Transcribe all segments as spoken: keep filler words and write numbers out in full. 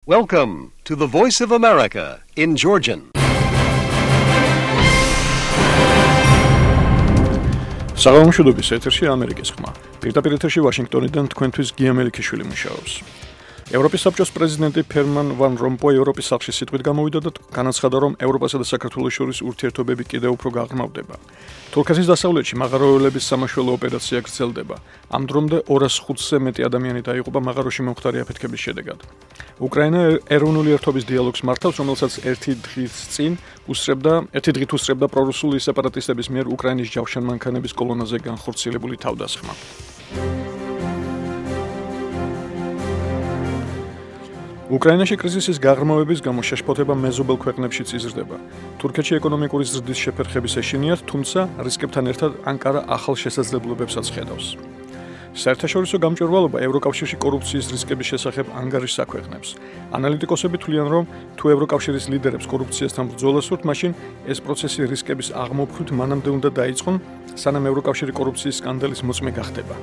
Welcome to the Voice of America in Georgian. საღამოშუდობის ეთერში ამერიკის ხმა. პირდაპირ ეთერში ვაშინგტონიდან თქვენთვის გია მელიქიშვილი მუშაობს. ევროპის საბჭოს პრეზიდენტი ფერმან ვან რომპოი ევროპის სახლში სიტყვით გამოვიდა და განაცხადა, რომ ევროპასა და საქართველოს შორის ურთიერთობები კიდევ უფრო გაღრმავდება. თურქეთის დასავლეთში მაღაროელების სამაშველო ოპერაცია გრძელდება. ამ დრომდე ორას ხუთზე მეტი ადამიანი დაიღუპა მაღაროში მომხდარი აფეთქების შედეგად. უკრაინა ეროვნული ერთობის დიალოგს მართავს, რომელსაც ერთი დღის წინ უსწრებდა, ერთი დღით უსწრებდა პრორუსული სეპარატისტების მიერ უკრაინის ჯავშანმანქანების კოლონაზე განხორციელებული თავდასხმა. უკრაინაში კრიზისის გაღრმავების გამო შეშფოთება მეზობელ ქვეყნებშიც იზრდება. თურქეთში ეკონომიკური ზრდის შეფერხების ეშინიათ, თუმცა რისკებთან ერთად ანკარა ახალ შესაძლებლობებსაც ხედავს. საერთაშორისო გამჭვირვალობა ევროკავშირში კორუფციის რისკების შესახებ ანგარიშს აქვეყნებს. ანალიტიკოსები თვლიან, რომ თუ ევროკავშირის ლიდერებს კორუფციასთან ბრძოლა სურთ, მაშინ ეს პროცესი რისკების აღმოფხვით მანამდე უნდა დაიწყონ, სანამ ევროკავშირი კორუფციის სკანდალის მოწმე გახდება.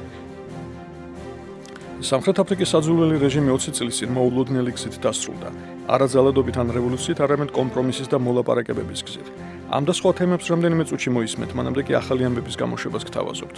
სამხრეთ აფრიკის საძულველი რეჟიმი ოცი წლის წინ მოულოდნელი გზით დასრულდა. არა ძალადობით ან რევოლუციით, არამედ კომპრომისის და მოლაპარაკებების გზით. ამ და სხვა თემებს რამდენიმე წუთში მოისმენთ, მანამდე კი ახალი ამბების გამოშვებას გთავაზობთ.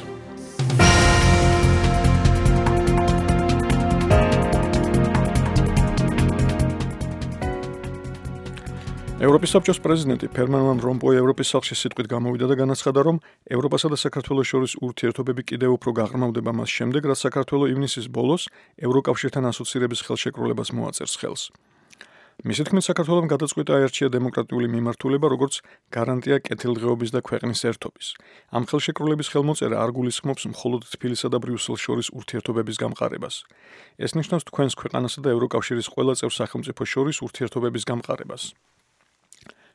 ევროპის საბჭოს პრეზიდენტი ფერმან ვან რომპოი ევროპის სახლში სიტყვით გამოვიდა და განაცხადა, რომ ევროპასა და საქართველოს შორის ურთიერთობები კიდევ უფრო გაღრმავდება მას შემდეგ, რაც საქართველო ივნისის ბოლოს ევროკავშირთან ასოცირების ხელშეკრულებას მოაწერს ხელს. მისი თქმით, საქართველომ გადაწყვიტა აერჩია დემოკრატიული მიმართულება, როგორც გარანტია კეთილდღეობის და ქვეყნის ერთობის. ამ ხელშეკრულების ხელმოწერა არ გულისხმობს მხოლოდ თბილისსა და ბრიუსელს შორის ურთიერთობების გამყარებას. ეს ნიშნავს თქვენს ქვეყანასა და ევროკავშირის ყველა წევრ სახელმწიფოს შორის ურთიერთობების გამყარებას.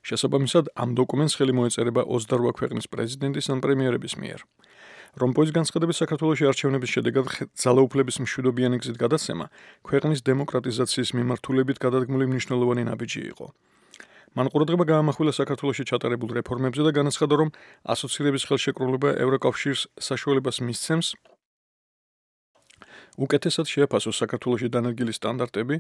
შესაბამისად, ამ დოკუმენტს ხელი მოეწერება ოცდაორ ქვეყნის პრეზიდენტის ან პრემიერების მიერ. რომპოის განცხადების საქართველოში არჩევნების შედეგად ძალაუფლების მშვიდობიანი გზით გადაცემა ქვეყნის დემოკრატიზაციის მიმართულებით გადადგმული მნიშვნელოვანი ნაბიჯი იყო. მან ყურადღება გაამახვილა საქართველოში ჩატარებულ რეფორმებზე და განაცხადა, რომ ასოცირების ხელშეკრულება ევროკავშირს საშუალებას მისცემს უკეთესად შეაფასოს საქართველოში დანერგილი სტანდარტები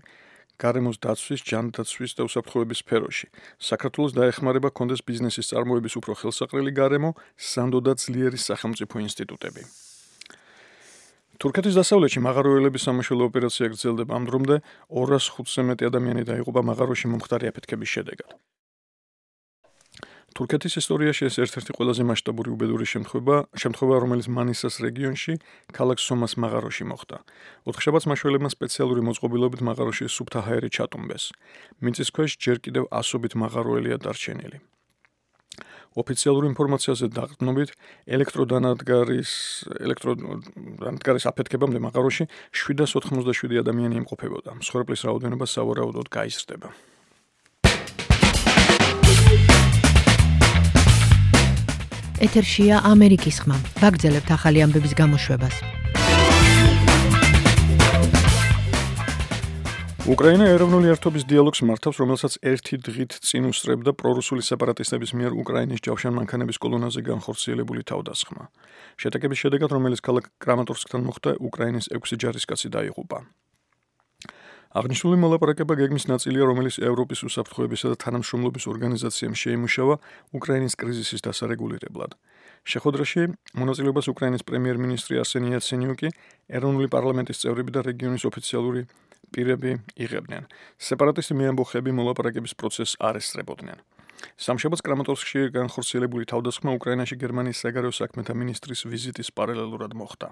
გარემოს დაცვის, ჯანდაცვის და უსაფრთხოების სფეროში. საქართველოს დაეხმარება კონდეს ბიზნესის წარმოების უფრო ხელსაყრელი გარემო, სანდო და ძლიერი სახელმწიფო ინსტიტუტები. თურქეთის დასავლეთში მაღაროელების სამაშველო ოპერაცია გრძელდება. ამ დრომდე ორას ხუთზე მეტი ადამიანი დაიღუპა მაღაროში მომხდარი აფეთქების შედეგად. თურქეთის ისტორიაში ეს ერთ-ერთი ყველაზე მასშტაბური უბედური შემთხვევა, შემთხვევა, რომელიც მანისას რეგიონში, ქალაქ სომას მაღაროში მოხდა. ოთხშაბათს მაშველებმა სპეციალური მოწყობილობით მაღაროში სუფთა ჰაერი ჩატუმბეს. მიწისქვეშ ჯერ კიდევ ასობით მაღაროელია დარჩენილი. ოფიციალურ ინფორმაციაზე დაყრდნობით, ელექტროდანადგარის ელექტროდანადგარის აფეთქებამდე მაღაროში შვიდას ოთხმოცდაშვიდი ადამიანი იმყოფებოდა. მსხვერპლის რაოდენობა სავარაუდოდ გაიზრდება. ეთერშია ამერიკის ხმა. ვაგრძელებთ ახალი ამბების გამოშვებას. უკრაინა ეროვნული ერთობის დიალოგს მართავს, რომელსაც ერთი დღით წინ უსწრებდა პრორუსული სეპარატისტების მიერ უკრაინის ჯავშანმანქანების კოლონაზე განხორციელებული თავდასხმა. შეტაკების შედეგად, რომელიც ქალაქ კრამატორსკთან მოხდა, უკრაინის ექვსი ჯარისკაცი დაიღუპა. აღნიშნული მოლაპარაკება გეგმის ნაწილია, რომელიც ევროპის უსაფრთხოებისა და თანამშრომლობის ორგანიზაციამ შეიმუშავა უკრაინის კრიზისის დასარეგულირებლად. შეხვედრაში მონაწილეობას უკრაინის პრემიერ-მინისტრი არსენი იაცენიუკი, ეროვნული პარლამენტის წევრები და რეგიონის ოფიციალური პირები იღებდნენ. სეპარატისტი მეამბოხები მოლაპარაკების პროცესს არ ესწრებოდნენ. სამშაბათს კრამატორსკში განხორციელებული თავდასხმა უკრაინაში გერმანიის საგარეო საქმეთა მინისტრის ვიზიტის პარალელურად მოხდა.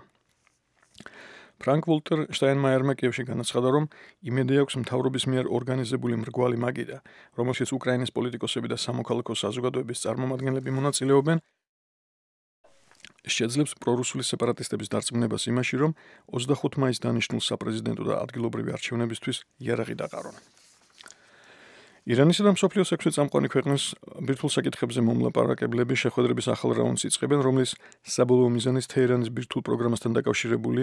ფრანკ ვოლტერ შტაინმაიერმა კიევში განაცხადა, რომ იმედი აქვს მთავრობის მიერ ორგანიზებული მრგვალი მაგიდა, რომელშიც უკრაინის პოლიტიკოსები და სამოქალაქო საზოგადოების წარმომადგენლები მონაწილეობენ, შეძლებს პრორუსული სეპარატისტების დარწმუნებას იმაში, რომ ოცდახუთი მაისს დანიშნულ საპრეზიდენტო და ადგილობრივი არჩევნებისთვის იარაღი დაყარონ. ირანისა და მსოფლიოს ექვსი წამყვანი ქვეყნის ბირთვულ საკითხებზე მომლაპარაკებლები შეხვედრების ახალ რაუნდს იწყებენ, რომლის საბოლოო მიზანიც თეირანის ბირთვულ პროგრამასთან დაკავშირებული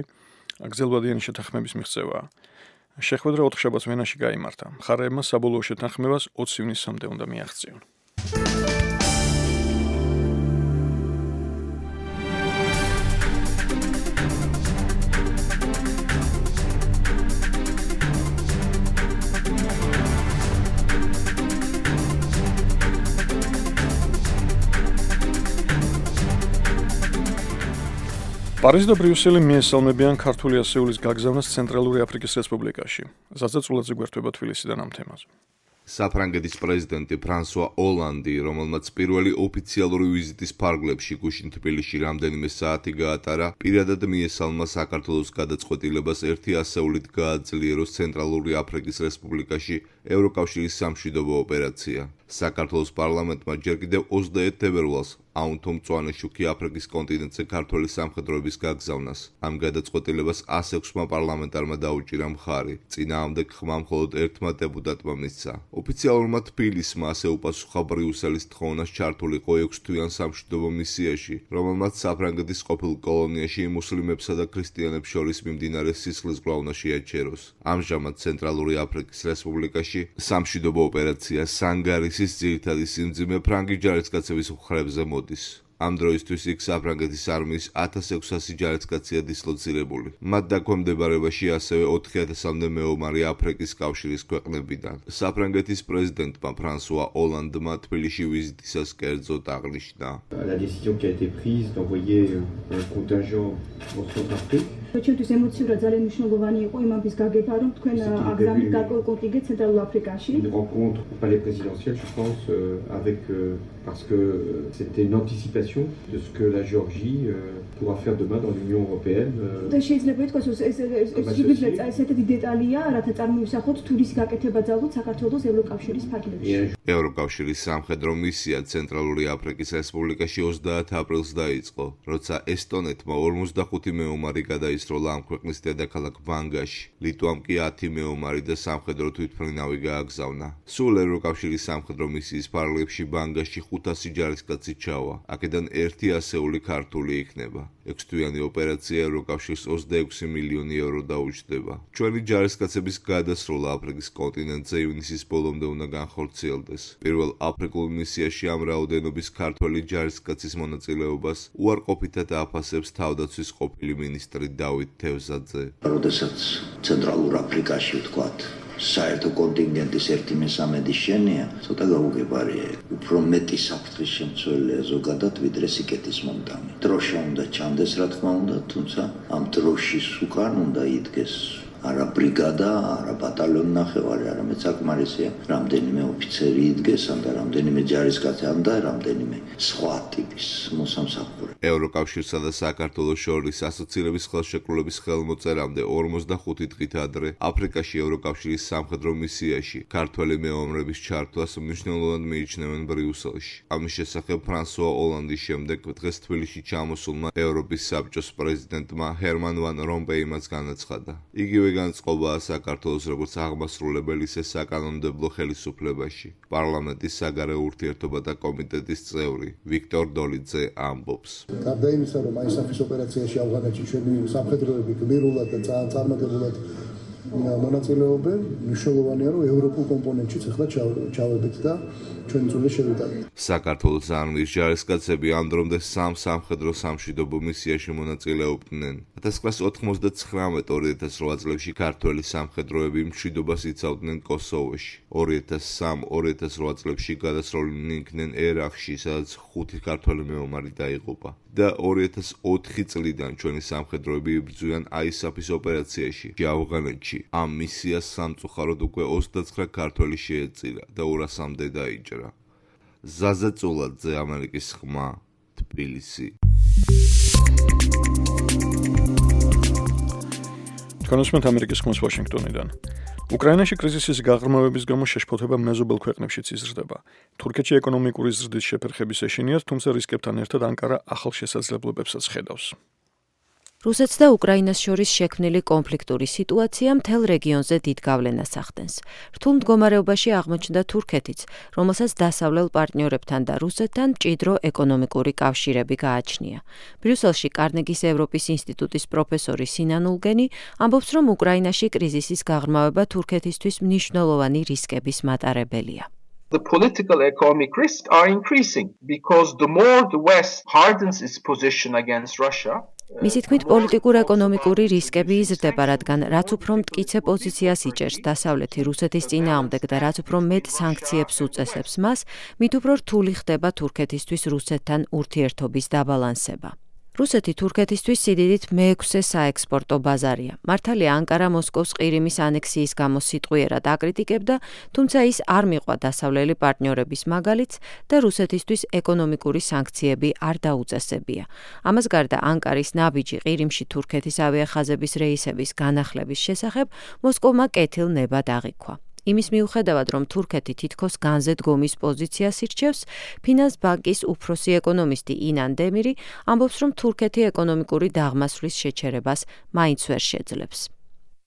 გრძელვადიანი შეთანხმების მიღწევაა. შეხვედრა ოთხშაბათს ვენაში გაიმართა. მხარეებმა საბოლოო შეთანხმებას ოცი ივნისამდე უნდა მიაღწიონ. პარიზი და ბრიუსელი მიესალმებიან ქართული ასეულის გაგზავნას ცენტრალური აფრიკის რესპუბლიკაში. ზაზაწულაძე გვერდება თბილისიდან ამ თემაზე. საფრანგეთის პრეზიდენტი ფრანსუა ოლანდი, რომელმაც პირველი ოფიციალური ვიზიტის ფარგლებში გუშინ თბილისში რამდენიმე საათი გაატარა, პირადად მიესალმა საქართველოს გადაწყვეტილებას ერთი ასეულით გააძლიეროს ცენტრალური აფრიკის რესპუბლიკაში ევროკავშირის სამშვიდობო ოპერაცია. საქართველოს პარლამენტმა ჯერ კიდევ ოცდაერთ თებერვალს აუნთო მწვანე შუქი აფრიკის კონტინენტზე ქართველი სამხედროების გაგზავნას. ამ გადაწყვეტილებას ას ექვსმა პარლამენტარმა დაუჭირა მხარი. წინააღმდეგ ხმა მხოლოდ ერთმა დეპუტატმა მისცა. ოფიციალურმა თბილისმა ასე უპასუხა ბრიუსელის თხოვნას ჩართულიყო ექვსთვიან სამშვიდობო მისიაში, რომელმაც საფრანგეთის ყოფილ კოლონიაში მუსლიმებსა და ქრისტიანებს შორის მიმდინარე სისხლის გროვნა შეაჩეროს. ამჟამად ცენტრალური აფრიკის რესპუბლიკაში სამშვიდობო ოპერაცია სანგარისის ძირითადი სიმძიმე ფრანგი ჯარისკაცების მხრებზე მოდის. ამ დროისთვის იქ საფრანგეთის არმიის ათას ექვსასი ჯარისკაცია დისლოცირებული. მათ დაქვემდებარებაში ასევე ოთხი ათასამდე მეომარი აფრიკის კავშირის ქვეყნებიდან. საფრანგეთის პრეზიდენტმა ფრანსუა ოლანდმა თბილისში ვიზიტისას კერძოდ აღნიშნა. La décision qui a été prise d'envoyer un contingent en Centrafrique. ჩვენთვის ემოციურად ძალიან მნიშვნელოვანი იყო იმის გაგება, რომ თქვენ აგზავნით გარკვეულ კონტინგენტს ცენტრალურ აფრიკაში. Une rencontre au palais présidentiel, je pense, euh, avec euh, parce que euh, c'était une anticipation de ce que la Géorgie euh, pourra faire demain dans l'Union européenne. და შეიძლება ითქვას, რომ ეს ეს ესეთი დეტალია, რათა წარმოვისახოთ თულის გაკეთება ძალოთ საქართველოს ევროკავშირის ფარგლებში. ევროკავშირის სამხედრო მისია ცენტრალური აფრიკის რესპუბლიკაში ოცდაათ აპრილს დაიწყო, როცა ესტონეთმა ორმოცდახუთი მეომარი გადაისროლა ამ ქვეყნის დედაქალაქ ბანგაში. ლიტვამ კი ათი მეომარი და სამხედრო თვითმფრინავი გააგზავნა. სულ ევროკავშირის სამხედრო მისიის ფარგლებში ბანგაში ხუთასი ჯარისკაცი ჩავა. აქედან ერთი ასეული ქართული იქნება. ექვსთვიანი ოპერაცია ევროკავშირს ოცდაექვსი მილიონი ევრო დაუჯდება. ჩვენი ჯარისკაცების გადასროლა აფრიკის კონტინენტზე ივნისის ბოლომდე უნდა განხორციელდეს. პირველ აფრიკულ მისიაში ამ რაოდენობის ქართველი ჯარისკაცის მონაწილეობას უარყოფითად აფასებს თავდაცვის ყოფილი მინისტრი დავით თევზაძე. როდესაც ცენტრალურ აფრიკაში ვთქვათ, საერთო კონტინგენტის ერთი მესამედი შენია, ცოტა გაუგებარია. უფრო მეტი საფრთხის შემცველია ზოგადად, ვიდრე სიკეთის მომდამი. დროშა უნდა ჩანდეს, რა თქმა უნდა, თუმცა ამ დროშის უკან უნდა იდგეს არა ბრიგადა, არა ბატალიონი ნახევარი, არამედ საკმარისია რამდენიმე ოფიცერი იდგეს, ან და რამდენიმე ჯარისკაცი, ან და რამდენიმე სხვა ტიპის მოსამსახურე. ევროკავშირსა და საქართველოს შორის ასოცირების ხელშეკრულების ხელმოწერამდე ორმოცდახუთი დღით ადრე აფრიკაში ევროკავშირის სამხედრო მისიაში ქართველი მეომრების ჩართვას მნიშვნელოვნად მიიჩნევენ ბრიუსელში. ამის შესახებ ფრანსუა ოლანდის შემდეგ დღეს თბილისში ჩამოსულმა ევროპის საბჭოს პრეზიდენტმა ჰერმან ვან რომპეიმაც განაცხადა. იგივე განწყობაა საქართველოს როგორც აღმასრულებელი ისე საკანონმდებლო ხელისუფლებაში. პარლამენტის საგარეო ურთიერთობათა კომიტეტის წევრი ვიქტორ დოლიძე ამბობს. გარდა იმისა, რომ აი საფის ოპერაციაში ავღანეთში ჩვენი სამხედროები გმირულად და ძალიან წარმატებულად მონაწილეობენ, მნიშვნელოვანია, რომ ევროპულ კომპონენტშიც ახლა ჩავედით და ჩვენი წვლილი შევიტანოთ. საქართველოს არმიის ჯარისკაცები ამ დრომდე სამ სამხედრო სამშვიდობო მისიაში მონაწილეობდნენ. ათას ათასსა ოთხმოცდათხრამეტ ორი ათას რვა წლებში ქართველი სამხედროები მშვიდობას იცავდნენ კოსოვოში. ორი ათას სამ ორი ათას რვა წლებში გადასროლინი იქნენ ერაყში, სადაც ხუთი ქართველი მეომარი დაიღუპა. და ორი ათას ოთხი წლიდან ჩვენი სამხედროები იბრძვიან აისაფის ოპერაციაში ავღანეთში. ამ მისიას სამწუხაროდ უკვე ოცდაცხრა ქართველი შეეწირა და ორასამდე დაიჭრა. ზაზაწულაძე, ამერიკის ხმა, თბილისი. თქვენოსმენთ ამერიკის ხმას ვაშინგტონიდან. უკრაინაში კრიზისის გაღრმავების გამო შეშფოთება მეზობელ ქვეყნებშიც იზრდება. თურქეთში ეკონომიკური ზრდის შეფერხების ეშინიათ, თუმცა რისკებთან ერთად ანკარა ახალ შესაძლებლობებსაც ხედავს. რუსეთს და უკრაინას შორის შექმნილი კონფლიქტური სიტუაცია მთელ რეგიონზე დიდ გავლენას ახდენს. რთულ მდგომარეობაში აღმოჩნდა თურქეთიც, რომელსაც დასავლელ პარტნიორებთან და რუსეთთან მჭიდრო ეკონომიკური კავშირები გააჩნია. ბრიუსელში კარნეგის ევროპის ინსტიტუტის პროფესორი სინან ულგენი ამბობს, რომ უკრაინაში კრიზისის გაღრმავება თურქეთისთვის მნიშვნელოვანი რისკების მატარებელია. The political and economic risks are increasing because the more the West hardens its position against Russia, მისი თქმით, პოლიტიკურ-ეკონომიკური რისკები იზრდება, რადგან რაც უფრო მტკიცე პოზიციას იჭერს დასავლეთი რუსეთის წინააღმდეგ და რაც უფრო მეტ სანქციებს უწესებს მას, მით უფრო რთული ხდება თურქეთისთვის რუსეთთან ურთიერთობის დაბალანსება. რუსეთი თურქეთისთვის სიდიდით მეექვსე საექსპორტო ბაზარია. მართალია ანკარა მოსკოვს ყირიმის ანექსიის გამო სიტყვიერად აკრიტიკებდა, თუმცა ის არ მიყვა დასავლელი პარტნიორების მაგალითს და რუსეთისთვის ეკონომიკური სანქციები არ დაუწესებია. ამას გარდა ანკარის ნაბიჯი ყირიმში თურქეთის ავიახაზების რეისების განახლების შესახებ მოსკოვმა კეთილნებად აღიქვა. იმის მიუხედავად, რომ თურქეთი თითქოს განზედგომის პოზიციას ირჩევს, ფინანს ბანკის უფროსი ეკონომისტი ინან დემირი ამბობს, რომ თურქეთი ეკონომიკური დაღმასვლის შეჩერებას მაინც ვერ შეძლებს.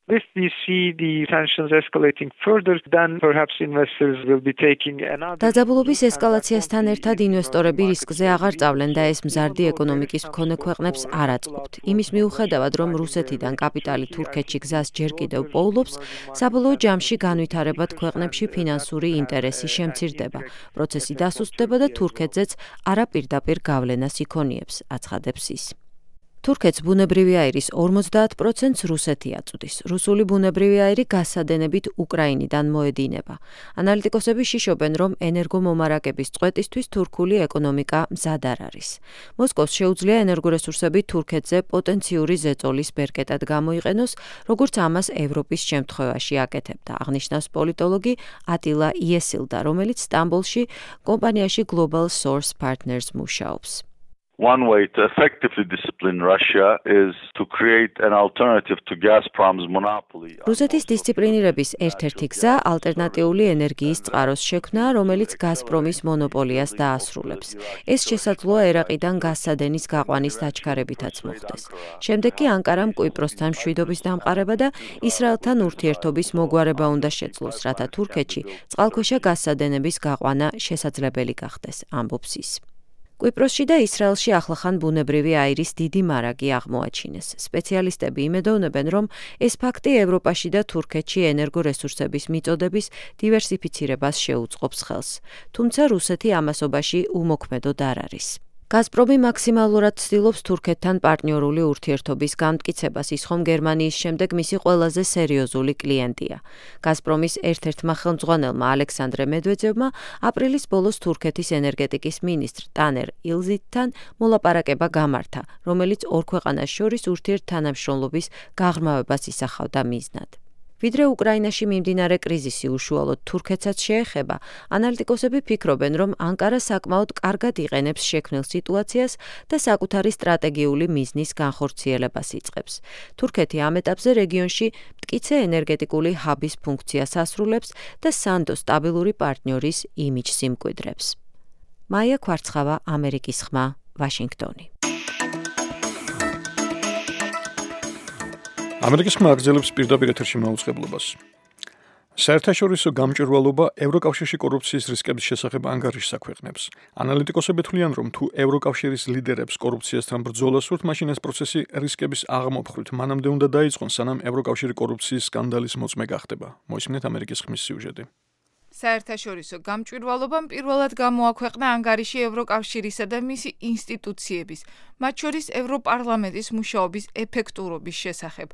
If we see the sanctions escalating further, then perhaps investors will be taking another. დაძაბულობის ესკალაციასთან ერთად ინვესტორები რისკზე აღარ წავლენ და ეს მზარდი ეკონომიკის მქონე ქვეყნებს არ აწყობთ. იმის მიუხედავად, რომ რუსეთიდან კაპიტალი თურქეთში გზას ჯერ კიდევ პოულობს, საბოლოო ჯამში განვითარებად ქვეყნებში ფინანსური ინტერესი შემცირდება. პროცესი დასუსტდება და თურქეთზეც არაპირდაპირ გავლენას იქონიებს, აცხადებს ის. თურქეთს ბუნებრივი აირის ორმოცდაათ პროცენტს რუსეთი აწვდის. რუსული ბუნებრივი აირი გასადენებით უკრაინიდან მოედინება. ანალიტიკოსები შიშობენ, რომ ენერგომომარაგების წყვეტისთვის თურქული ეკონომიკა მზად არ არის. მოსკოვს შეუძლია ენერგორესურსები თურქეთზე პოტენციური ზეწოლის ბერკეტად გამოიყენოს, როგორც ამას ევროპის შემთხვევაში აკეთებდა, აღნიშნავს პოლიტოლოგი ატილა იესილდა, რომელიც სტამბოლში კომპანიაში Global Source Partners მუშაობს. One way to effectively discipline Russia is to create an alternative to Gazprom's monopoly. რუსეთის დისციპლინირების ერთ-ერთი გზა ალტერნატიული ენერგიის წყაროს შექმნა, რომელიც გაზპრომის მონოპოლიას დაასრულებს. ეს შესაძლოა ერაყიდან გაზსადენის გაყვანის დაჩქარებითაც მოხდეს. შემდეგ კი ანკარამ კვიპროსთან მშვიდობის დამყარება და ისრაელთან ურთიერთობის მოგვარება უნდა შეძლოს, რათა თურქეთში წყალქვეშა გაზსადენების გაყვანა შესაძლებელი გახდეს, ამბობს ის. კვიპროსში და ისრაელში ახლახან ბუნებრივი აირის დიდი მარაგი აღმოაჩინეს. სპეციალისტები იმედოვნებენ, რომ ეს ფაქტი ევროპაში და თურქეთში ენერგორესურსების მიწოდების დივერსიფიცირებას შეუწყობს ხელს. თუმცა რუსეთი ამასობაში უმოქმედოდ არ არის. გაზპრომი მაქსიმალურად ცდილობს თურქეთთან პარტნიორული ურთიერთობის განმტკიცებას, ის ხომ გერმანიის შემდეგ მისი ყველაზე სერიოზული კლიენტია. გაზპრომის ერთ-ერთმა ხელმძღვანელმა ალექსანდრე მედვედევმა აპრილის ბოლოს თურქეთის ენერგეტიკის მინისტრ ტანერ ილზითთან მოლაპარაკება გამართა, რომელიც ორ ქვეყანას შორის ურთიერთთანამშრომლობის გაღრმავებას ისახავდა მიზნად. ვიდრე უკრაინაში მიმდინარე კრიზისი უშუალოდ თურქეთსაც შეეხება, ანალიტიკოსები ფიქრობენ, რომ ანკარა საკმაოდ კარგად იყენებს შექმნილ სიტუაციას და საკუთარი სტრატეგიული მიზნის განხორციელებას იწყებს. თურქეთი ამ ეტაპზე რეგიონში მტკიცე ენერგეტიკული ჰაბის ფუნქციას ასრულებს და სანდო სტაბილური პარტნიორის იმიჯს იმკვიდრებს. მაია ქვარცხავა, ამერიკის ხმა, ვაშინგტონი. ამერიკის ხმა აგრძელებს პირდაპირ ეთერში მაუწყებლობას. საერთაშორისო გამჭვირვალობა ევროკავშირში კორუფციის რისკების შესახებ ანგარიშს აქვეყნებს. ანალიტიკოსები თვლიან, რომ თუ ევროკავშირის ლიდერებს კორუფციასთან ბრძოლა სურთ, მაშინ ეს პროცესი რისკების აღმოფხვით მანამდე უნდა დაიწყონ, სანამ ევროკავშირი კორუფციის სკანდალის მოწმე გახდება. მოისმინეთ ამერიკის ხმის სიუჟეტი. საერთაშორისო გამჭვირვალობამ პირველად გამოაქვეყნა ანგარიში ევროკავშირისა და მისი ინსტიტუციების, მათ შორის ევროპარლამენტის მუშაობის ეფექტურობის შესახებ.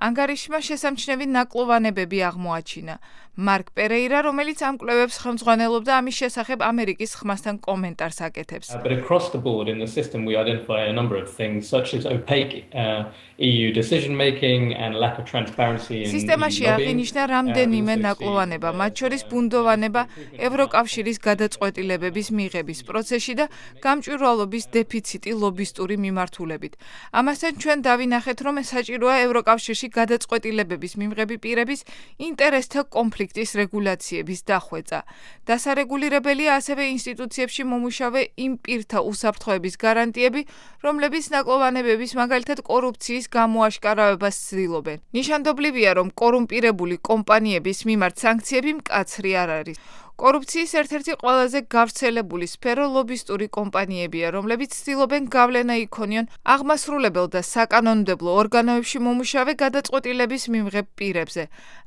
ანგარიშმა შესამჩნევი ნაკლოვანებები აღმოაჩინა. მარკ პერეირა, რომელიც ამ კვლევებს ხელმძღვანელობდა, ამის შესახებ ამერიკის ხმასთან კომენტარს აკეთებს. But across the board in the system we identify a number of things such as opaque uh, E U decision making and lack of transparency in სისტემაში აღინიშნა რამდენიმე ნაკლოვანება, მათ შორის ბუნდოვანება ევროკავშირის გადაწყვეტილებების მიღების პროცესში და გამჭვირვალობის დეფიციტი ლობისტური მიმართულებით. ამასთან ჩვენ დავინახეთ, რომ საჭიროა ევროკავშირში გადაწყვეტილებების მიმღები პირების ინტერესთა კონფლიქტის რეგულაციების დახვეწა. დასარეგულირებელია ასევე ინსტიტუციებში მომუშავე იმ პირთა უსაფრთხოების გარანტიები, რომლებიც ნაკლოვანებების, მაგალითად კორუფციის გამოაშკარავებას ცდილობენ. ნიშანდობლივია, რომ კორუმპირებული კომპანიების მიმართ სანქციები მკაცრი არ არის. კორუფციის ერთ-ერთი ყველაზე გავრცელებული სფერო ლობისტური კომპანიებია, რომლებიც ცდილობენ გავლენა იქონიონ აღმასრულებელ და საკანონმდებლო ორგანოებში მომუშავე გადაწყვეტილების მიმღებ პირებზე.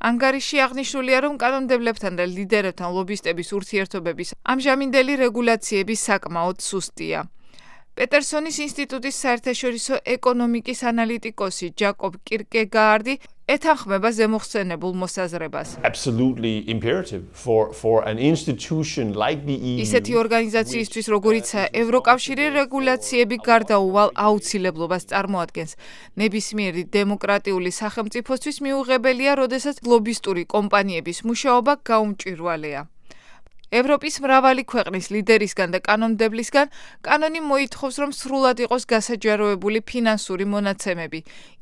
ანგარიში აღნიშნულია, რომ კანონმდებლებთან და ლიდერებთან ლობისტების ურთიერთობების ამჟამინდელი რეგულაციები საკმაოდ სუსტია. პეტერსონის ინსტიტუტის საერთაშორისო ეკონომიკის ანალიტიკოსი ჯაკობ კირკეგაარდი ეთანხმება ზემოხსენებულ მოსაზრებას. Absolutely imperative for for an institution like the E U. ისეთი ორგანიზაციისთვის, როგორიცაა ევროკავშირი, რეგულაციები გარდაუვალ აუცილებლობას წარმოადგენს. ნებისმიერი დემოკრატიული სახელმწიფოსთვის მიუღებელია, როდესაც ლობისტური კომპანიების მუშაობა გაუმჭვირვალეა. ევროპის მრავალი ქვეყნის ლიდერისგან და კანონმდებლისგან კანონი მოითხოვს, რომ სრულად იყოს გასაჯაროებული ფინანსური მონაცემები,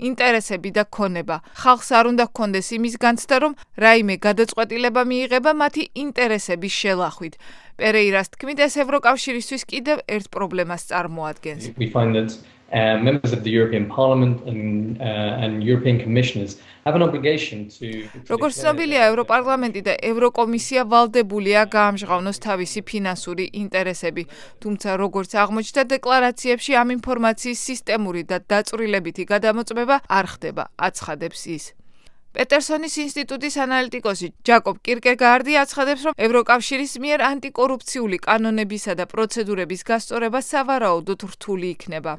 ინტერესები და ქონება. ხალხს არ უნდა ჰქონდეს იმის განცდა, რომ რაიმე გადაწყვეტილება მიიღება მათი ინტერესების შელახვით. პერეირას თქმით, ეს ევროკავშირისთვის კიდევ ერთ პრობლემას წარმოადგენს. We find that uh, members of the European Parliament and, uh, and European commissioners have an obligation to როგორც ცნობილია, ევროპარლამენტი და ევროკომისია ვალდებულია გაამჟღავნოს თავისი ფინანსური ინტერესები, თუმცა როგორც აღმოჩნდა დეკლარაციებში, ამ ინფორმაციის სისტემური და დაწვრილებითი გადამოწმება არ ხდება, აცხადებს ის. პეტერსონის ინსტიტუტის ანალიტიკოსი ჯაკობ კირკეგარდი აცხადებს, რომ ევროკავშირის მიერ ანტიკორუფციული კანონებისა და პროცედურების გასწორება სავარაუდოდ რთული იქნება.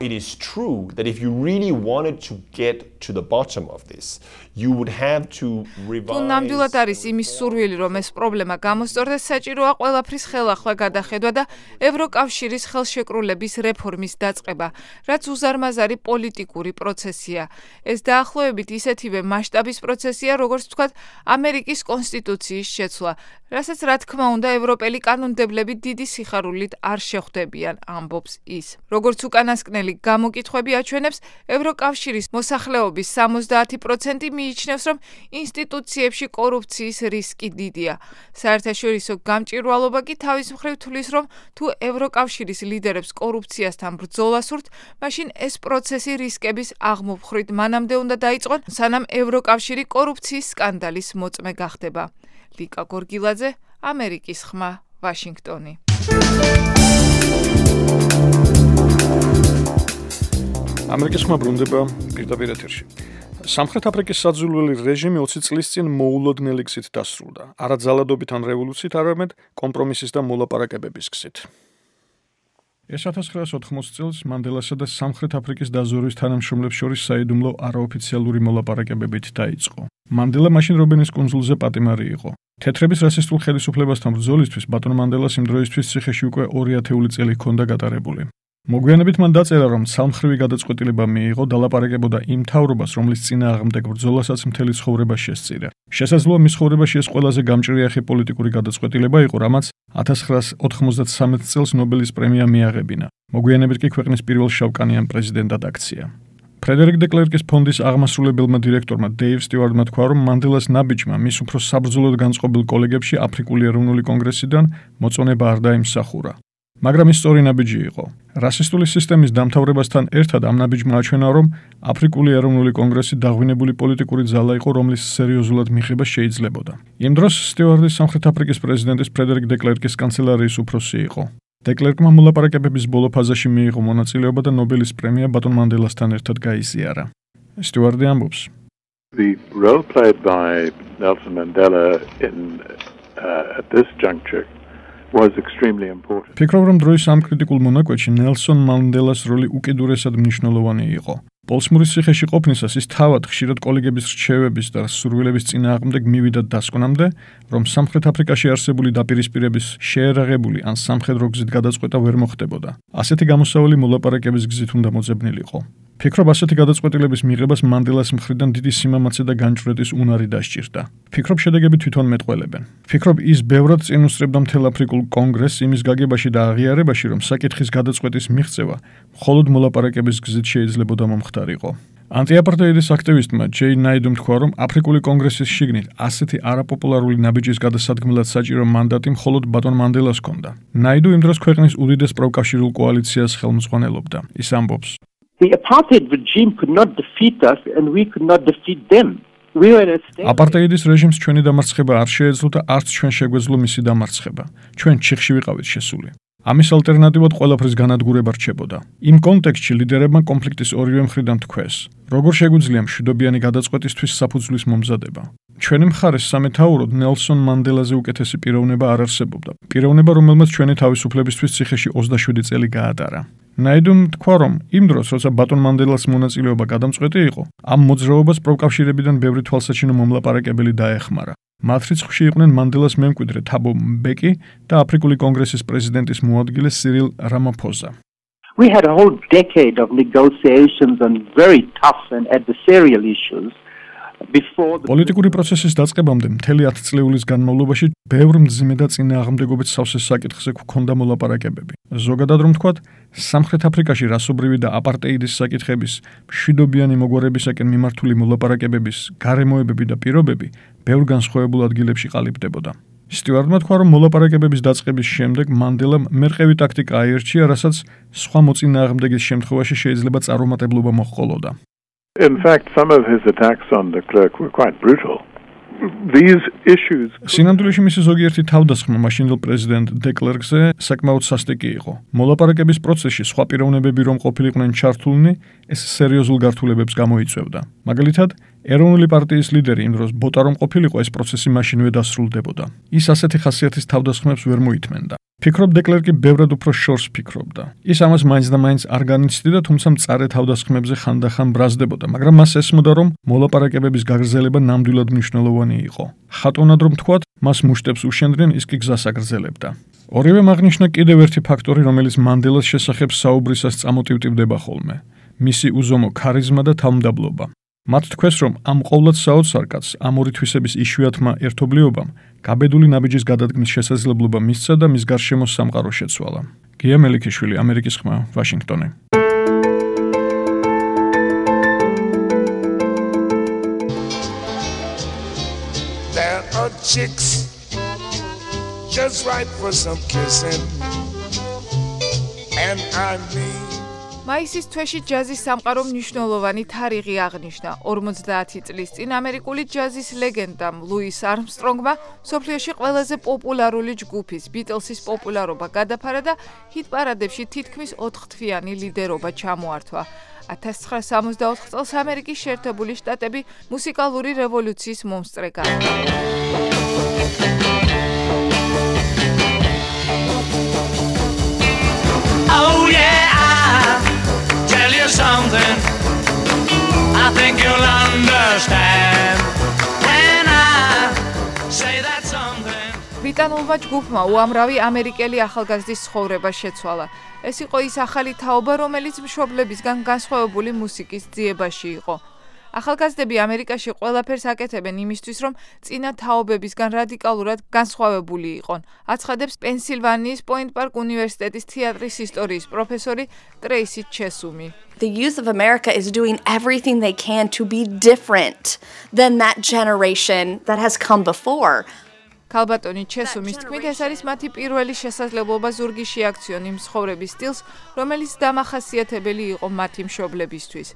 It is true that if you really wanted to get to the bottom of this, you would have to revise. თუ ნამდვილად არის იმის სურვილი, რომ ეს პრობლემა გამოსწორდეს, საჭიროა ყველაფრის ხელახლა გადახედვა და ევროკავშირის ხელშეკრულების რეფორმის დაწყება, რაც უზარმაზარი პოლიტიკური პროცესია. ეს დაახლოებით ისეთივე მასშტაბის პროცესია, როგორც ვთქვათ, ამერიკის კონსტიტუციის შეცვლა, რასაც რა თქმა უნდა ევროპელი კანონმდებლები დიდი სიხარულით არ შეხვდებიან, ამბობს ის. როგორც უკანასკნელი გამოკითხვები აჩვენებს, ევროკავშირის მოსახლეობის სამოცდაათი პროცენტი მიიჩნევს, რომ ინსტიტუციებში კორუფციის რისკი დიდია. საერთაშორისო გამჭვირვალობა კი თავის მხრივ თვლის, რომ თუ ევროკავშირის ლიდერებს კორუფციასთან ბრძოლა სურთ, მაშინ ეს პროცესი რისკების აღმოფხვით მანამდე უნდა დაიწყონ, სანამ ევროკავშირი კორუფციის სკანდალის მოწმე გახდება. ლიკა გორგილაძე, ამერიკის ხმა, ვაშინგტონი. ამერიკის ხმა ბრუნდება პირდაპირ ეთერში. სამხრეთ აფრიკის საძულველი რეჟიმი ოცი წლის წინ მოულოდნელი გზით დასრულდა. არა ძალადობით ან რევოლუციით, არამედ კომპრომისის და მოლაპარაკებების გზით. ეს ათას ცხრაასი ოთხმოცი წელს მანდელასა და სამხრეთ აფრიკის დაზვერვის თანამშრომლებს შორის საიდუმლო არაოფიციალური მოლაპარაკებებით დაიწყო. მანდელა მაშინ რობენის კუნძულზე პატიმარი იყო. თეთრების რასისტულ ხელისუფლებასთან ბრძოლისთვის ბატონ მანდელას იმ დროისთვის ციხეში უკვე ორი ათეული წელი ჰქონდა გატარებული. მოგვიანებით მან დაწერა, რომ ცალმხრივი გადაწყვეტილება მიიღო დალაპარაკებოდა იმ მთავრობას, რომლის წინააღმდეგ ბრძოლასაც მთელი ცხოვრება შესწირა. შესაძლოა მის ცხოვრებაში ეს ყველაზე გამჭრიახი პოლიტიკური გადაწყვეტილება იყო, რამაც ათას ცხრაასი ოთხმოცდათსამეტ წელს ნობელის პრემია მიაღებინა. მოგვიანებით კი ქვეყნის პირველ შავკანიან პრეზიდენტად აქცია. ფრედერიკ დე კლერკის ფონდის აღმასრულებელმა დირექტორმა დეივ სტიუარტმა თქვა, რომ მანდელას ნაბიჯმა მის უფრო საბრძოლოდ განწყობილ კოლეგებში აფრიკული ეროვნული კონგრესიდან მოწონება არ დაიმსახურა. მაგრამ ის სწორი ნაბიჯი იყო. რასისტული სისტემის დამთავრებასთან ერთად ამ ნაბიჯმა აჩვენა, რომ აფრიკული ეროვნული კონგრესი დაღვინებული პოლიტიკური ძალა იყო, რომლის სერიოზულად მიღება შეიძლებოდა. იმ დროს სტიუარტი სამხრეთ აფრიკის პრეზიდენტის ფრედერიკ დე კლერკის კანცელარიის უფროსი იყო. დე კლერკმა მოლაპარაკებების ბოლო ფაზაში მიიღო მონაწილეობა და ნობელის პრემია ბატონ მანდელასთან ერთად გაიზიარა. სტიუარტი ამბობს: The role played by Nelson Mandela in uh, at this juncture was extremely important. ფიქრობ, რომ დროის ამ კრიტიკულ მონაკვეთში ნელსონ მანდელას როლი უკიდურესად მნიშვნელოვანი იყო. პოლსმურის ციხეში ყოფნისას ის თავად ხშირად კოლეგების რჩევების და სურვილების წინააღმდეგ მივიდა დასკვნამდე, რომ სამხრეთ აფრიკაში არსებული დაპირისპირების შეერაღებული ან სამხედრო გზით გადაწყვეტა ვერ მოხდებოდა. ასეთი გამოსავალი მოლაპარაკების გზით უნდა მოძებნილიყო. ფიქრობ, ასეთი გადაწყვეტილების მიღებას მანდელას მხრიდან დიდი სიმამაცე და განჭვრეტის უნარი დასჭირდა. ფიქრობ, შედეგები თვითონ მეტყველებენ. ფიქრობ, ის ბევრად წინ უსწრებდა მთელ აფრიკულ კონგრესს იმის გაგებაში და აღიარებაში, რომ საკითხის გადაწყვეტის მიღწევა მხოლოდ მოლაპარაკების გზით შეიძლებოდა მომხდარიყო. ანტიაპარტეიდის აქტივისტმა ჯეი ნაიდუმ თქვა, რომ აფრიკული კონგრესის შიგნით ასეთი არაპოპულარული ნაბიჯის გადასადგმელად საჭირო მანდატი მხოლოდ ბატონ მანდელას ჰქონდა. ნაიდუ იმ დროს ქვეყნის უდიდეს პროკავშირულ კოალიციას ხელმძღვანელობდა. ის ამბობს: The apartheid regime could not defeat us and we could not defeat them. We were in a state. აპარტეიდის რეჟიმს ჩვენი დამარცხება არ შეეძლო და არც ჩვენ შეგვეძლო მისი დამარცხება. ჩვენ ჩიხში ვიყავით შესული. ამის ალტერნატივად ყველაფრის განადგურება რჩებოდა. იმ კონტექსტში ლიდერებმა კონფლიქტის ორივე მხრიდან თქვეს, როგორ შეგვიძლია მშვიდობიანი გადაწყვეტისთვის საფუძვლის მომზადება. ჩვენი მხარეს სამეთაუროდ ნელსონ მანდელაზე უკეთესი პიროვნება არ არსებობდა. პიროვნება, რომელმაც ჩვენი თავისუფლებისთვის ციხეში ოცდაშვიდი წელი გაატარა. ნაიდუმ თქვა, რომ იმ დროს, როცა ბატონ მანდელას მონაწილეობა გადამწყვეტი იყო, ამ მოძრაობას პროვკავშირებიდან ბევრი თვალსაჩინო მომლაპარაკებელი დაეხმარა. მათ რიცხვში იყვნენ მანდელას მემკვიდრე თაბო მბეკი და აფრიკული კონგრესის პრეზიდენტის მოადგილე სირილ რამაფოზა. We had a whole decade of negotiations on very tough and adversarial issues. პოლიტიკური პროცესის დაწყებამდე მთელი ათწლეულის განმავლობაში ბევრ მძიმე და წინააღმდეგობით სავსე საკითხზე გვქონდა მოლაპარაკებები. ზოგადად რომ ვთქვათ, სამხრეთ აფრიკაში რასობრივი და აპარტეიდის საკითხების, მშვიდობიანი მოგვარებისაკენ მიმართული მოლაპარაკებების, გარემოებები და პირობები ბევრ განსხვავებულ ადგილებში ყალიბდებოდა. სტიუარტმა თქვა, რომ მოლაპარაკებების დაწყების შემდეგ მანდელამ მერყევი ტაქტიკა აირჩია, რასაც სხვა მოწინააღმდეგის შემთხვევაში შეიძლება წარუმატებლობა მოჰყოლოდა. In fact, some of his attacks on de Klerk were quite brutal. These issues სინამდვილეში მისი ზოგიერთი თავდასხმა მაშინდელ პრეზიდენტ დე კლერკზე საკმაოდ სასტიკი იყო. მოლაპარაკების პროცესში სხვა პიროვნებები რომ ყოფილიყვნენ ჩართულნი, ეს სერიოზულ გართულებებს გამოიწვევდა. მაგალითად, ეროვნული პარტიის ლიდერი იმ დროს ბოტა რომ ყოფილიყო, ეს პროცესი მაშინვე დასრულდებოდა. ის ასეთი ხასიათის თავდასხმებს ვერ მოითმენდა. ფიქრობ დე კლერკი ბევრად უფრო შორს ფიქრობდა. ის ამას მაინც და მაინც არ განიცდიდა, თუმცა მწარე თავდასხმებზე ხანდახან ბრაზდებოდა, მაგრამ მას ესმოდა, რომ მოლაპარაკებების გაგრძელება ნამდვილად მნიშვნელოვანი იყო. ხატონად რომ თქვათ, მას მუშტებს უშენდნენ, ის კი გზას აგრძელებდა. ორივე აღნიშნა კიდევ ერთი ფაქტორი, რომელიც მანდელას შესახებ საუბრისას წამოტივტივდება ხოლმე. მისი უზომო ქარიზმა და თავმდაბლობა. მათ თქვეს, რომ ამ ყოვლად საოცარ კაცს ამ ორი თვისების იშვიათმა ერთობლიობამ გაბედული ნაბიჯის გადადგმის შესაძლებლობა მისცა და მის გარშემო სამყარო შეცვალა. გია მელიქიშვილი, ამერიკის ხმა, ვაშინგტონი. There are chicks just right for some kissing and I mean მაისის თვეში ჯაზის სამყარო მნიშვნელოვანი თარიღი აღნიშნა. ორმოცდაათი წლის წინ ამერიკული ჯაზის ლეგენდამ ლუის არმსტრონგმა მსოფლიოში ყველაზე პოპულარული ჯგუფის ბიტლსის პოპულარობა გადაფარა და ჰიტ-პარადებში თითქმის ოთხთვიანი ლიდერობა ჩამოართვა. ათას ცხრაასი სამოცდაოთხ წელს ამერიკის შეერთებული შტატები მუსიკალური რევოლუციის მომსწრე გახდა. Oh yeah, tell you something I think you'll understand when I say that something. ბრიტანულმა ჯგუფმა უამრავი ამერიკელი ახალგაზრდის ცხოვრება შეცვალა. ეს იყო ის ახალი თაობა, რომელიც მშობლებისგან განსხვავებული მუსიკის ძიებაში იყო. ახალგაზრდები ამერიკაში ყველაფერს აკეთებენ იმისთვის, რომ წინა თაობებისგან რადიკალურად განსხვავებული იყონ. აცხადებს პენსილვანიის პოინტ პარკ უნივერსიტეტის თეატრის ისტორიის პროფესორი ტრეისი ჩესუმი. The youth of America is doing everything they can to be different than that generation that has come before. ქალბატონი ჩესუმის თქმით, ეს არის მათი პირველი შესაძლებლობა ზურგი შეაქციონ იმ ცხოვრების სტილს, რომელიც დამახასიათებელი იყო მათი მშობლებისთვის.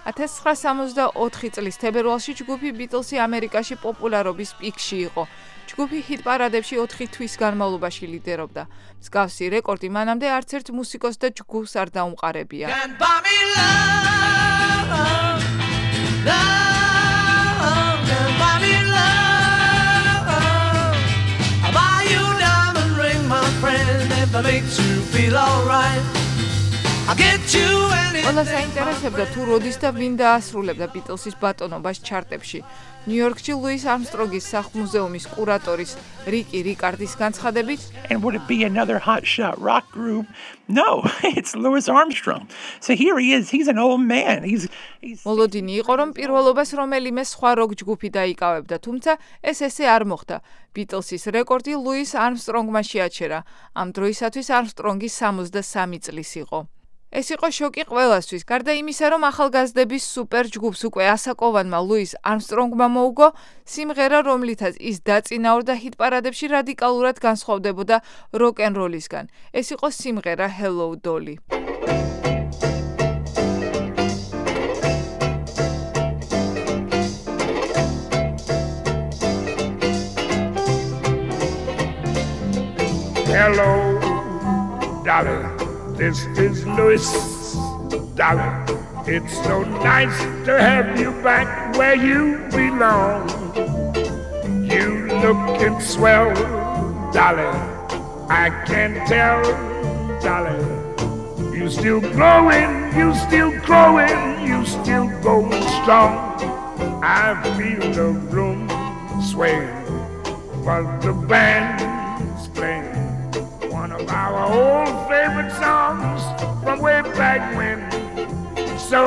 ათას ცხრაასი სამოცდაოთხი წლის თებერვალში ჯგუფი ბიტლსი ამერიკაში პოპულარობის პიკში იყო. ჯგუფი ჰიტ-პარადებში ოთხი თვის განმავლობაში ლიდერობდა. მსგავსი რეკორდი მანამდე არც ერთ მუსიკოს და ჯგუფს არ დაუმყარებია. ყველა საინტერესებდა თუ როდის და ვინ დაასრულებდა ბიტლსის ბატონობას ჩარტებში. ნიუ-იორკში ლუის არმსტრონგის სახლ-მუზეუმის კურატორის რიკი რიკარდის განცხადებით, And would it be another hotshot rock group? No, it's Louis Armstrong. So here he is. He's an old man. He's he's მოლოდინი იყო, რომ პირველობას რომელიმე სხვა როკ ჯგუფი დაიკავებდა, თუმცა ეს ესე არ მოხდა. ბიტლსის რეკორდი ლუის არმსტრონგმა შეაჩერა. ამ დროისათვის არმსტრონგი სამოცდასამი წლის იყო. ეს იყო შოკი ყველასთვის. გარდა იმისა, რომ ახალგაზრდების სუპერ ჯგუფს უკვე ასაკოვანმა ლუის არმსტრონგმა მოუგო, სიმღერა, რომლითაც ის დაწინაურდა ჰიტ-პარადებში რადიკალურად განსხვავდებოდა როკ-ენ-როლისგან. ეს იყო სიმღერა Hello Dolly. Hello Dolly, this is Louis. Dolly, it's so nice to have you back where you belong. You looking swell, Dolly, I can tell, Dolly. You still growing, you still growing, you still going strong. I feel the room sway, but the band's playing one of our old favorite songs from way back when. So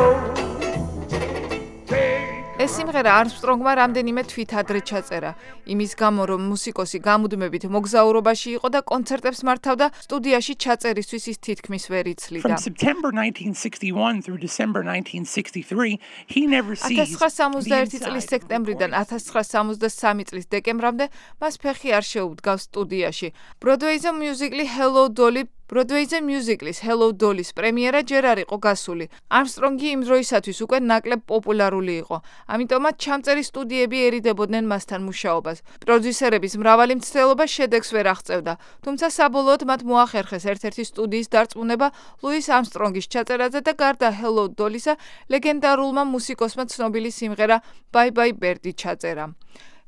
ეს სიმღერა Armstrong-მა რამდენიმე თვით ადრე ჩაწერა, იმის გამო, რომ მუსიკოსი გამუდმებით მოგზაურობაში იყო და კონცერტებს მართავდა, სტუდიაში ჩაწერისთვის ის თითქმის ვერ იცლიდა. From September nineteen sixty-one through December nineteen sixty-three, he never ceased. ათას ცხრაასა სამოცდაერთი წლის სექტემბრიდან ათას ცხრაასა სამოცდასამი წლის დეკემბრამდე მას ფეხი არ შეუდგავს სტუდიაში. Broadway-ზე მიუზიკლი Hello Dolly Broadway-ზე მიუზიკლის Hello Dolly-ის პრემიერა ჯერ არ იყო გასული. Armstrong-ი იმ დროისათვის უკვე ნაკლებ პოპულარული იყო. ამიტომაც ჩამწერი სტუდიები ერიდებოდნენ მასთან მუშაობას. პროდიუსერების მრავალი მცდელობა შედეგს ვერ აღწევდა, თუმცა საბოლოოდ მათ მოახერხეს ერთ-ერთი სტუდიის დარწმუნება ლუის ამსტრონგის ჩაწერაზე და გარდა Hello Dolly-ისა, ლეგენდარულმა მუსიკოსმა ცნობილი სიმღერა Bye Bye Birdie ჩაწერა.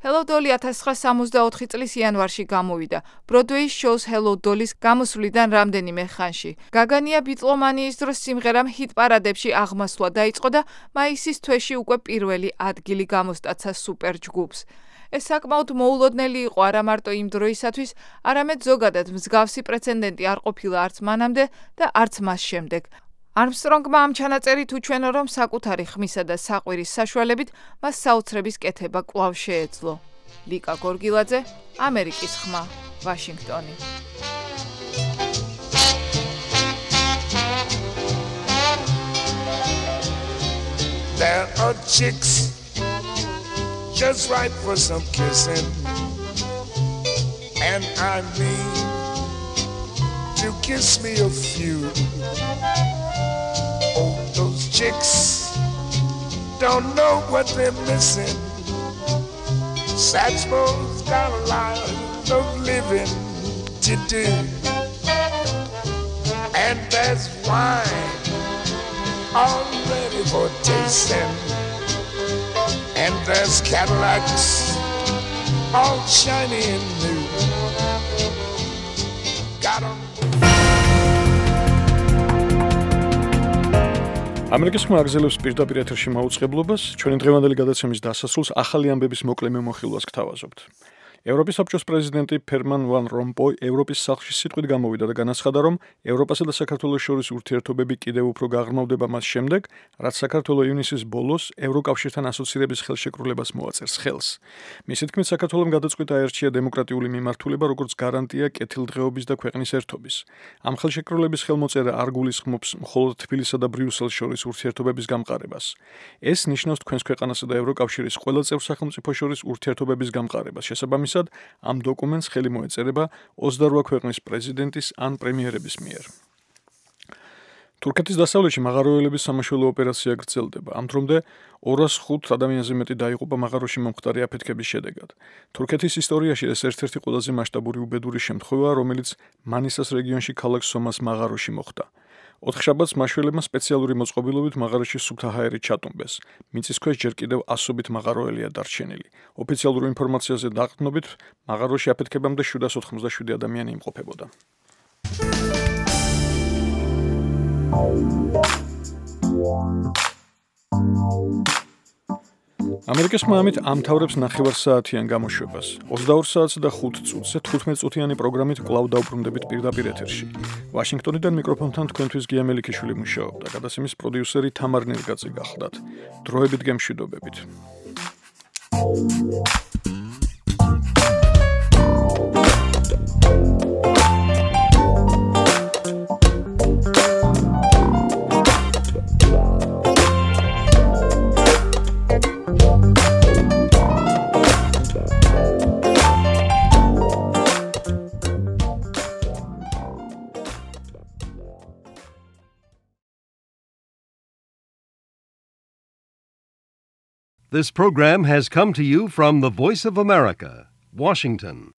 Hello Dolly ათას ცხრაასა სამოცდაოთხი წლის იანვარში გამოვიდა. Broadway shows Hello Dolly-ის გამოსვლიდან რამდენიმე ხანში. გაგანია ბიტლომანიის დროს სიმღერამ ჰიტ-პარადებში აღმასვლა დაიწყო და მაისის თვეში უკვე პირველი ადგილი გამოსტაცა სუპერ ჯგუფს. ეს საკმაოდ მოულოდნელი იყო არა მარტო იმ დროისათვის, არამედ ზოგადად მსგავსი პრეცედენტი არ ყოფილა არც მანამდე და არც მას შემდეგ. Armstrong-მა ამ ჩანაწერით უჩვენო, რომ საკუთარი ხმისა და საყვირის საშუალებით მას საოცრების კეთება კვლავ შეეძლო. ლიკა გორგილაძე, ამერიკის ხმა, ვაშინგტონი. There are chicks just right for some kissing, and I mean to kiss me a few. Oh, those chicks don't know what they're missing. Satchmo's got a lot of living to do, and there's wine all ready for tasting, and there's Cadillacs all shiny and new. Got 'em. ამერიკის ხმა აგზელებს პირდაპირ ეთერში მაუწყებლობას, ჩვენი დღევანდელი გადაცემის დასასრულს ახალი ამბების მოკლე მემოხილვას გთავაზობთ. ევროპის საბჭოს პრეზიდენტი ფერმან ვან რომპოი ევროპის სახლში სიტყვით გამოვიდა და განაცხადა, რომ ევროპასა და საქართველოს შორის ურთიერთობები კიდევ უფრო გაღრმავდება მას შემდეგ, რაც საქართველო ივნისის ბოლოს ევროკავშირთან ასოცირების ხელშეკრულებას მოაწერს ხელს. მისი თქმით, საქართველომ გადაწყვიტა აერჩია დემოკრატიული მიმართულება, როგორც გარანტია კეთილდღეობის და ქვეყნის ერთობის. ამ ხელშეკრულების ხელმოწერა არ გულისხმობს მხოლოდ თბილისსა და ბრიუსელს შორის ურთიერთობების გამყარებას. ეს ნიშნავს თქვენს ქვეყანასა და ევროკავშირის ყველა წევრ სახელმწიფოს შორის ურთიერთობების გამყარებას. შესაბამისად, ამ დოკუმენტს ხელი მოეწერება ოცდარვა ქვეყნის პრეზიდენტის ან პრემიერების მიერ. თურქეთის დასავლეთში მაღაროელების სამაშველო ოპერაცია გრძელდება. ამ დრომდე ორას ხუთ ადამიანზე მეტი დაიღუპა მაღაროში მომხდარი აფეთქების შედეგად. თურქეთის ისტორიაში ეს ერთ-ერთი ყველაზე მასშტაბური უბედური შემთხვევაა, რომელიც მანისას რეგიონში ქალაქ სომას მაღაროში მოხდა. ოთხშაბათს მაშველებმა სპეციალური მოწყობილობით მაღაროში სუფთა ჰაერით ჩატუმბეს. მიწისქვეშ ჯერ კიდევ ასობით მაღაროელია დარჩენილი. ოფიციალურ ინფორმაციაზე დაყრდნობით, მაღაროში აფეთქებამდე შვიდას ოთხმოცდაშვიდი ადამიანი იმყოფებოდა. ამერიკის ხმა ამით ამთავრებს ნახევარსაათიან გამოშვებას. ოცდაორ საათს და ხუთ წუთზე თხუთმეტ წუთიანი პროგრამით კვლავ დავბრუნდებით პირდაპირ ეთერში. ვაშინგტონიდან მიკროფონთან თქვენთვის გია მელიქიშვილი მუშაობდა. გადაცემის პროდიუსერი თამარ ნერგაძე გახლდათ. დროებით გემშვიდობებით. This program has come to you from the Voice of America, Washington.